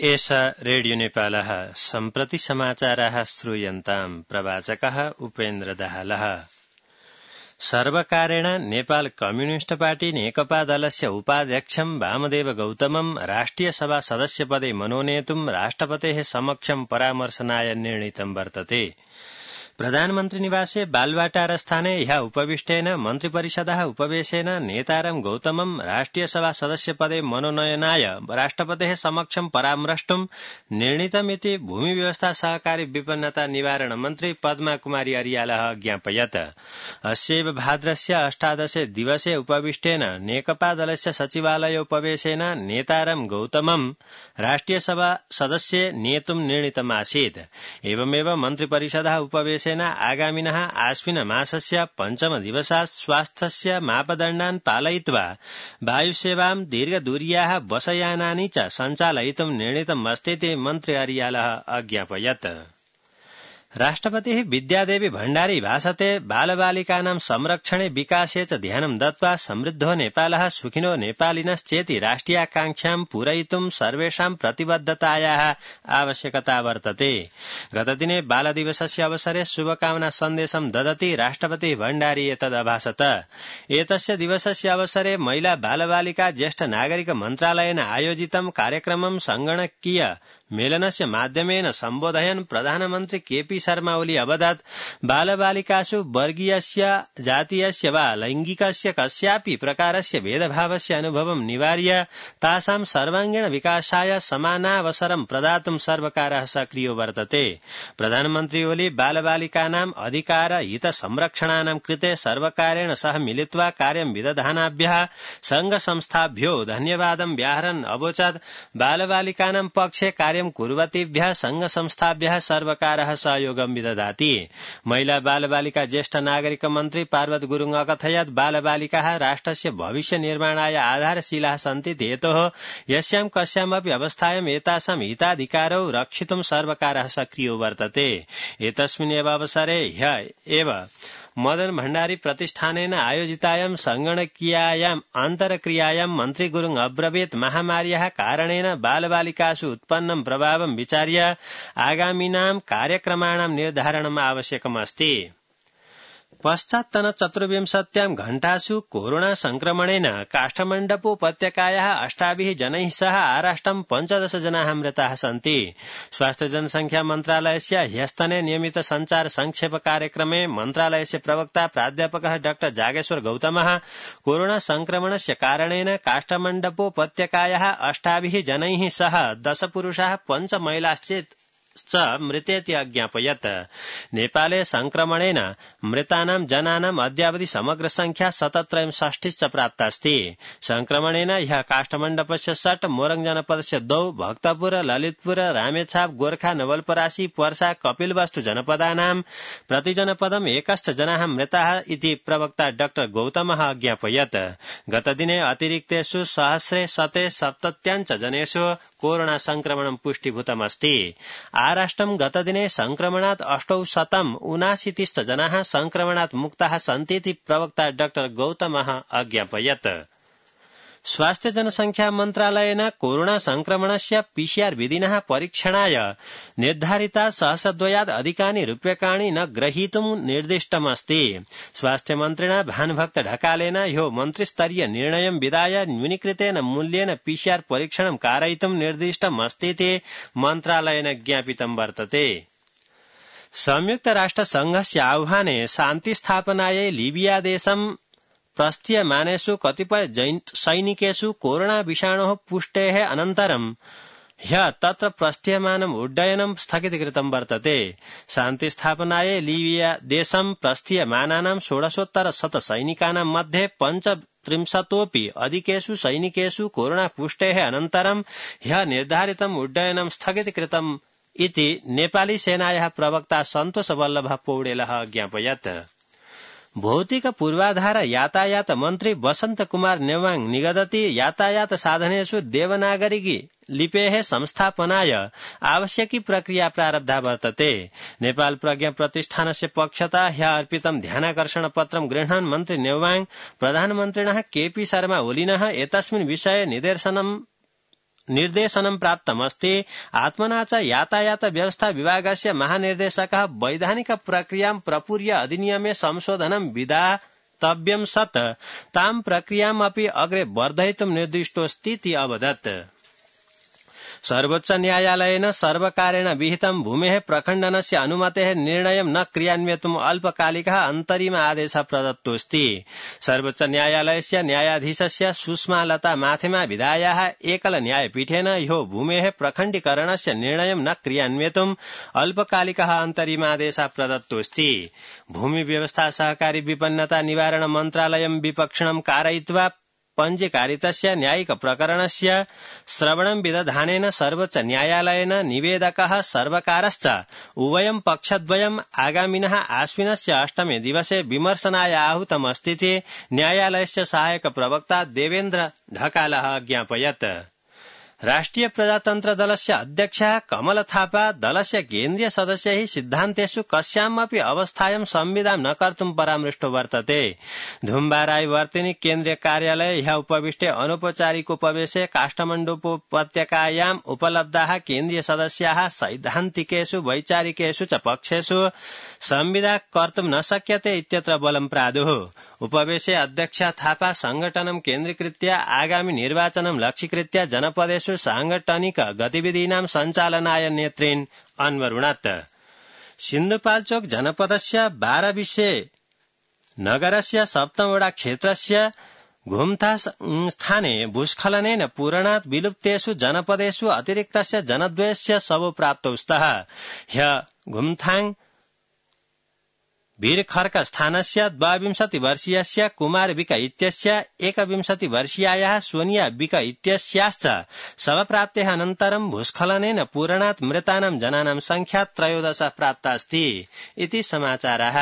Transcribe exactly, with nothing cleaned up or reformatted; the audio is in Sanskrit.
एषा रेडियो नेपालः सम्प्रति समाचाराः श्रूयन्ताम्। प्रवाचकः उपेन्द्र दाहालः। सर्वकारेण नेपाल कम्युनिस्ट पार्टी नेकपा दलस्य उपाध्यक्षं वामदेव गौतमं राष्ट्रियसभा सदस्यपदे मनोनेतुं राष्ट्रपतेः समक्षं परामर्शनाय निर्णीतं वर्तते। प्रधानमन्त्री निवासे बालवाटार स्थाने ह्यः उपविष्टेन मन्त्रिपरिषदः उपवेशेन नेतारं गौतमं राष्ट्रियसभा सदस्यपदे मनोनयनाय राष्ट्रपतेः समक्षं परामर्ष्टुं निर्णीतमिति भूमि व्यवस्था सहकारी विपन्नता निवारण मन्त्री पद्मा कुमारी अर्यालः ज्ञापयत्। अस्यैव भाद्रस्य अष्टादशे दिवसे उपविष्टेन नेकपा दलस्य सचिवालयोपवेशेन नेतारं गौतमं राष्ट्रियसभा सदस्ये नेतुं निर्णीतमासीत्। एवमेव मन्त्रिपरिषदः उपवेश आगामिनः आश्विन मासस्य पञ्चम दिवसात् स्वास्थ्यस्य मापदण्डान् पालयित्वा वायुसेवां दीर्घदूर्याः बसयानानि च सञ्चालयितुं निर्णीतमस्तीति मन्त्री अर्यालः अज्ञापयत्। राष्ट्रपतिः विद्यादेवी भण्डारी भाषते बालबालिकानां संरक्षणे विकासे च ध्यानं दत्त्वा समृद्धो नेपालः सुखिनो नेपालिनश्चेति राष्ट्रियाकांक्षां पूरयितुं सर्वेषां प्रतिबद्धतायाः आवश्यकता वर्तते। गतदिने बालदिवसस्य अवसरे शुभकामना सन्देशं ददति राष्ट्रपतिः भण्डारी एतदभाषत। एतस्य दिवसस्य अवसरे महिला बालबालिका ज्येष्ठ नागरिक मन्त्रालयेन आयोजितं कार्यक्रमं संगणकीय मेलनस्य माध्यमेन सम्बोधयन् प्रधानमन्त्री केपी शर्मा ओली अवदत् बालबालिकासु वर्गीयस्य जातीयस्य वा लैंगिकस्य कस्यापि प्रकारस्य भेदभावस्य अनुभवं निवार्य तासां सर्वांगीण विकासाय समानावसरं प्रदातुं सर्वकारः सक्रियो वर्तते। प्रधानमन्त्री ओली बालबालिकानां अधिकार हित संरक्षणानां कृते सर्वकारेण सह मिलित्वा कार्यं विदधानाभ्यः संघ संस्थाभ्यो धन्यवादं व्याहरन् अवोचत्। बालबालिकानां पक्षे कार्यं कुर्वतीभ्यः संघ संस्थाभ्यः सर्वकारः सहयोगं विदधाति। महिला बालबालिका ज्येष्ठ नागरिक मन्त्री पार्वत गुरुङ अकथयत् बालबालिकाः राष्ट्रस्य भविष्य निर्माणाय आधारशिलाः सन्ति हेतोः यस्यां कस्यामपि अवस्थायां एतासां हिताधिकारौ रक्षितुं सर्वकारः सक्रियो वर्तते। एतस्मिन्नेव अवसरे ह्यः एव मदन भण्डारी प्रतिष्ठानेन आयोजितायां संगणकीयायाम् अन्तर्क्रियायां मन्त्री गुरुङ अब्रवीत् महामार्याः कारणेन बालबालिकासु उत्पन्नं प्रभावं विचार्य आगामिनां कार्यक्रमाणां निर्धारणम् आवश्यकमस्ति। पश्चात्तन चतुर्विंशत्यां घण्टासु कोरोना संक्रमणेन काष्ठमण्डपोपत्यकायाः अष्टाभिः जनैः सह आराष्ट्रं पञ्चदश जनाः मृताः सन्ति। स्वास्थ्य जनसंख्या मन्त्रालयस्य ह्यस्तने नियमित संचार संक्षेप कार्यक्रमे मन्त्रालयस्य प्रवक्ता प्राध्यापकः डाक्टर जागेश्वर गौतमः कोरोना संक्रमणस्य कारणेन काष्ठमण्डपोपत्यकायाः अष्टाभिः जनैः सह दश पुरुषाः पञ्च महिलाश्चेत् च मृतेति अज्ञापयत्। नेपाले संक्रमणेन मृतानां जनानाम् अद्यावधि समग्र संख्या शतत्रयषष्टिश्च प्राप्तास्ति। संक्रमणेन ह्यः काष्ठमण्डपस्य षट्, मोरङ जनपदस्य द्वौ, भक्तपुर, ललितपुर, रामेछाप, गोर्खा, नवलपरासी, पर्सा, कपिलवस्तु जनपदानां प्रतिजनपदम् एकश्च जनाः मृताः इति प्रवक्ता डाक्टर गौतमः अज्ञापयत्। गतदिने अतिरिक्तेषु सहस्रे शते सप्तत्याञ्च जनेषु कोरोना संक्रमणं पुष्टीभूतमस्ति। आराष्ट्रं गतदिने संक्रमणात् अष्टौ शतम् उनाशीतिश्च जनाः संक्रमणात् मुक्ताः सन्तीति प्रवक्ता डाक्टर गौतमः अज्ञापयत्। स्वास्थ्य जनसंख्या मन्त्रालयेन कोरोना संक्रमणस्य पीसीआर विधिनः परीक्षणाय निर्धारिता सहस्रद्वयात् अधिकानि रूप्यकाणि न ग्रहीतुं निर्दिष्टमस्ति। स्वास्थ्य मन्त्रिणा भानुभक्त ढकालेन ह्यो मन्त्रिस्तरीय निर्णयं विधाय न्यूनीकृतेन मूल्येन पीसीआर परीक्षणं कारयितुं निर्दिष्टमस्तीति मन्त्रालयेन ज्ञापितं वर्तते। संयुक्त राष्ट्र संघस्य आह्वाने शान्तिस्थापनायै लीबिया देशं प्रस्थीयमानेषु कतिपय सैनिकेषु कोरोना विषाणोः पुष्टेः अनन्तरं ह्यः तत्र प्रस्थीयमानम् उड्डयनं स्थगितीकृतं वर्तते। शान्तिस्थापनायै लीबिया देशं प्रस्थीयमानानां षोडशोत्तर शत सैनिकानां मध्ये पञ्चत्रिंशतोऽपि अधिकेषु सैनिकेषु कोरोना पुष्टेः अनन्तरं ह्यः निर्धारितम् उड्डयनं स्थगितीकृतम् इति नेपाली सेनायाः प्रवक्ता सन्तोष वल्लभ पौडेलः ज्ञापयत्। भौतिक पूर्वाधार यातायात मन्त्री वसंत कुमार नेवाङ निगदति यातायात साधनेषु देवनागरिकी लिपेः संस्थापनाय आवश्यकी प्रक्रिया प्रारब्धा वर्तते। नेपाल प्रज्ञा प्रतिष्ठानस्य पक्षतः ह्यः अर्पितं ध्यानाकर्षण पत्रं गृह्णन् मन्त्री नेवाङ प्रधानमन्त्रिणः केपी शर्मा ओलिनः एतस्मिन् विषये निदर्शनम् निर्देशनं प्राप्तमस्ति। आत्मना च यातायात व्यवस्था विभागस्य महानिर्देशकः वैधानिक प्रक्रियां प्रपूर्य अधिनियमे संशोधनं विधातव्यं सत् तां प्रक्रियामपि अग्रे वर्धयितुं निर्दिष्टोऽस्तीति अवदत्। सर्वोच्च न्यायालयेन सर्वकारेण विहितं भूमेः प्रखण्डनस्य अनुमतेः निर्णयं न क्रियान्वयितुम् अल्पकालिकः अन्तरिम आदेशः प्रदत्तोऽस्ति। सर्वोच्च न्यायालयस्य न्यायाधीशस्य सुष्मालता माथेमा विधायाः एकल न्यायपीठेन ह्यो भूमेः प्रखण्डीकरणस्य निर्णयं न क्रियान्वयितुम् अल्पकालिकः अन्तरिमादेशः प्रदत्तोऽस्ति। भूमि व्यवस्था सहकारी विपन्नता निवारण मन्त्रालयं विपक्षणं कारयित्वा पञ्जीकारितस्य न्यायिक प्रकरणस्य श्रवणं विदधानेन सर्वोच्च न्यायालयेन निवेदकः सर्वकारश्च उभयं पक्षद्वयम् आगामिनः आश्विनस्य अष्टमे दिवसे विमर्शनाय आहूतमस्तीति न्यायालयस्य सहायक प्रवक्ता देवेन्द्र ढकालः अज्ञापयत्। राष्ट्रिय प्रजातन्त्र दलस्य अध्यक्षः कमल थापा दलस्य केन्द्रीय सदस्यैः सिद्धान्तेषु कस्यामपि अवस्थायां संविदां न कर्तुं परामृष्टो वर्तते। धुम्बाराई वर्तिनी केन्द्रीय कार्यालये ह्यः उपविष्टे अनौपचारिक उपवेशे काष्ठमण्डूपोपत्यकायाम् उपलब्धाः केन्द्रीय सदस्याः सैद्धान्तिकेषु वैचारिकेषु च पक्षेषु संविदा कर्तुं न शक्यते इत्यत्र बलं प्रादुः। उपवेशे अध्यक्ष थापा संघटनं केन्द्रीकृत्य आगामि निर्वाचनं लक्ष्यीकृत्य जनपदेषु सांगठनिक गतिविधीनां सञ्चालनाय नेतृन् अन्वरुणत्। सिन्धुपाल्चोक जनपदस्य बारविशे नगरस्य सप्तमवडा क्षेत्रस्य घुमथा स्थाने भूस्खलनेन पूरणात् विलुप्तेषु जनपदेषु अतिरिक्तस्य जनद्वयस्य शवो प्राप्तौ स्तः। ह्यः घुमथाङ वीरखर्क स्थानस्य द्वाविंशति वर्षीयस्य कुमार विक इत्यस्य एकविंशति वर्षीयायाः सोनिया विक इत्यस्याश्च शवप्राप्तेः अनन्तरं भूस्खलनेन पूरणात् मृतानां जनानां संख्या त्रयोदश प्राप्तास्ति इति समाचारः।